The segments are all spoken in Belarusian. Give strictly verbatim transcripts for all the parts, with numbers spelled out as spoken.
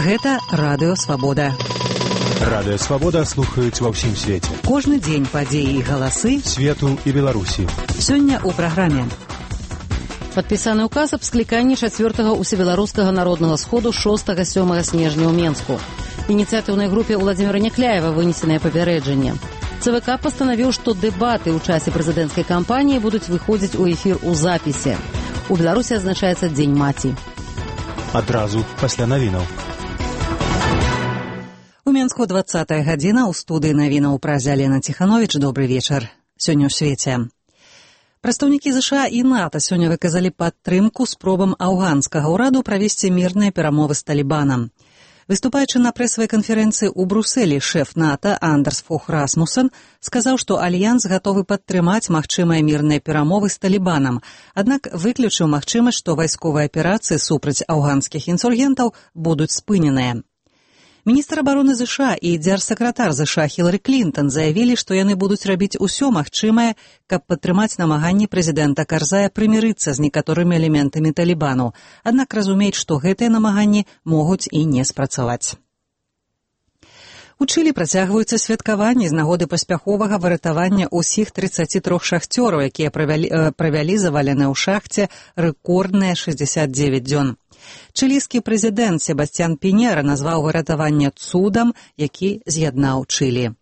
Гэта Радыё Свабода. Радыё Свабода слухаюць ва ўсім свеце. Кожны дзень падзеі і галасы свету і Беларусі. Сёння ў праграме. Падпісаны ўказ аб скліканні чацвёртага усебеларускага народнага сходу шостага-сёмага снежня ў Менску. Ініцыятыўнай групе Владзіміра Някляева вынесенае папярэджанне. ЦВК пастанавіў, што дэбаты ў часе прэзідэнцкай кампаніі будуць выходзіць у эфір у запісе. У Беларусі адзначаецца Дзень маці. Адразу пасля навінаў. У Менску дваццатая гадзіна, у студыі навінаў праз Алена Ціхановіч. Добры вечар. Сёння ў свеце. Прадстаўнікі ЗША і НАТО сёння выказалі падтрымку спробам афганскага ўраду правесці мірныя перамовы з Талібанам. Выступаючы на прэсавай канферэнцыі ў Брусэлі, шэф НАТО Андерс Фох Расмуссен сказаў, што Альянс гатовы падтрымаць магчымыя мірныя перамовы з Талібанам, аднак выключыў магчымасць, што вайсковыя аперацыі супраць афганскіх інсургентаў будуць спыненыя. Міністр абароны ЗША і дзяржсакратар ЗША Хілары Клінтон заявілі, што яны будуць рабіць усё магчымае, каб падтрымаць намаганні прэзідэнта Карзая прымірыцца з некаторымі элементамі Талібану, аднак разумеюць, што гэтыя намаганні могуць і не спрацаваць. У Чылі працягваюцца святкаванні з нагоды паспяховага выратавання ўсіх трыццаці трох шахцёраў, якія правялі, правялі заваленыя ў шахце рэкордныя шэсцьдзесят дзевяць дзён. Чылійскі прэзідэнт Себастьян Піньера назваў выратаванне цудам, які з'яднаў Чылі.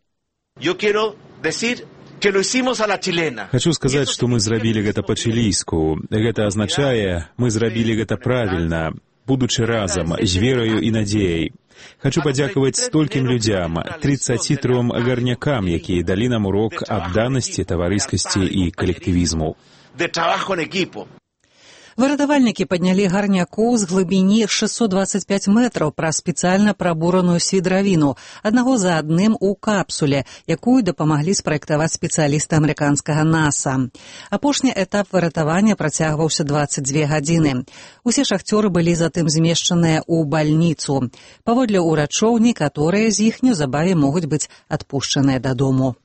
Хачу сказаць, што мы зрабілі гэта па-чылійску. Гэта азначае, мы зрабілі гэта правільна, будучы разам, з вераю і надзеяй. Хачу падзякаваць столькім людзям, трыццаці тром гарнякам, якія далі нам урок адданасці, таварыскасці і калектывізму. Выратавальнікі паднялі гарнякоў з глыбіні шэсцьсот дваццаць пяць метраў праз спецыяльна прабураную свідравіну, аднаго за адным у капсуле, якую дапамаглі спраектаваць спецыялісты амерыканскага НАСА. Апошні этап выратавання працягваўся дваццаць дзве гадзіны. Усе шахцёры былі затым змешчаныя ў бальніцу. Паводле ўрачоў, некаторыя з іх неўзабаве могуць быць адпушчаныя дадому.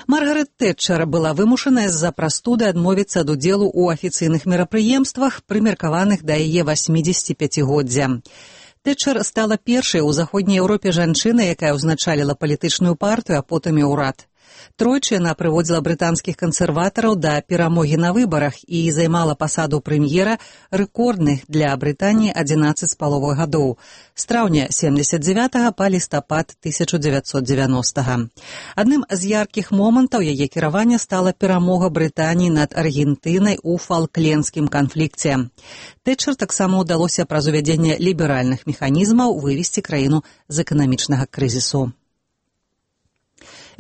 Маргарет Тэтчер была вымушаная з-за прастуды адмовіцца ад удзелу ў афіцыйных мерапрыемствах, прымеркаваных да яе васьмідзесяціпяцігоддзя. Тэтчер стала першай у заходняй Еўропе жанчынай, якая ўзначаліла палітычную партыю, а потым і ўрад. Тройчы яна прыводзіла брытанскіх кансерватараў да перамогі на выбарах і займала пасаду прэм'ера рэкордных для Брытаніі адзінаццаць з паловай гадоў, з траўня сямдзесят дзевятага па лістапад тысяча дзевяцьсот дзевяностага. Адным з яркіх момантаў яе кіравання стала перамога Брытаніі над Аргентынай у фалклендскім канфлікце. Тэтчер таксама ўдалося праз увядзенне ліберальных механізмаў вывесці краіну з эканамічнага крызісу.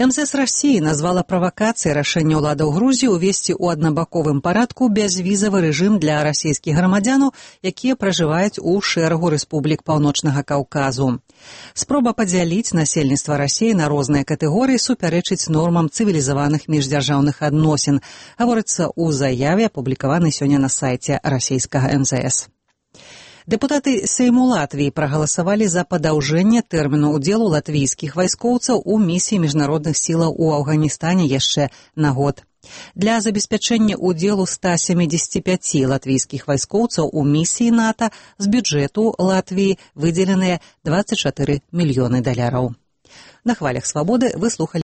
МЗС Расіі назвала правакацыяй рашэнне ўладаў Грузіі ўвесці ў аднабаковым парадку бязвізавы рэжым для расійскіх грамадзянаў, якія пражываюць у шэрагу рэспублік Паўночнага Каўказу. Спроба падзяліць насельніцтва Расіі на розныя катэгорыі супярэчыць нормам цывілізаваных міждзяржаўных адносін, гаворыцца ў заяве, апублікаванай сёння на сайце расійскага МЗС. Дэпутаты Сейму Латвіі прагаласавалі за падаўжэнне тэрміну ўдзелу латвійскіх вайскоўцаў у місіі міжнародных сілаў у Афганістане яшчэ на год. Для забеспячэння ўдзелу ста сямідзесяці пяці латвійскіх вайскоўцаў у місіі НАТО з бюджэту Латвіі выдзеленыя дваццаць чатыры мільёны даляраў. На хвалях свабоды вы слухалі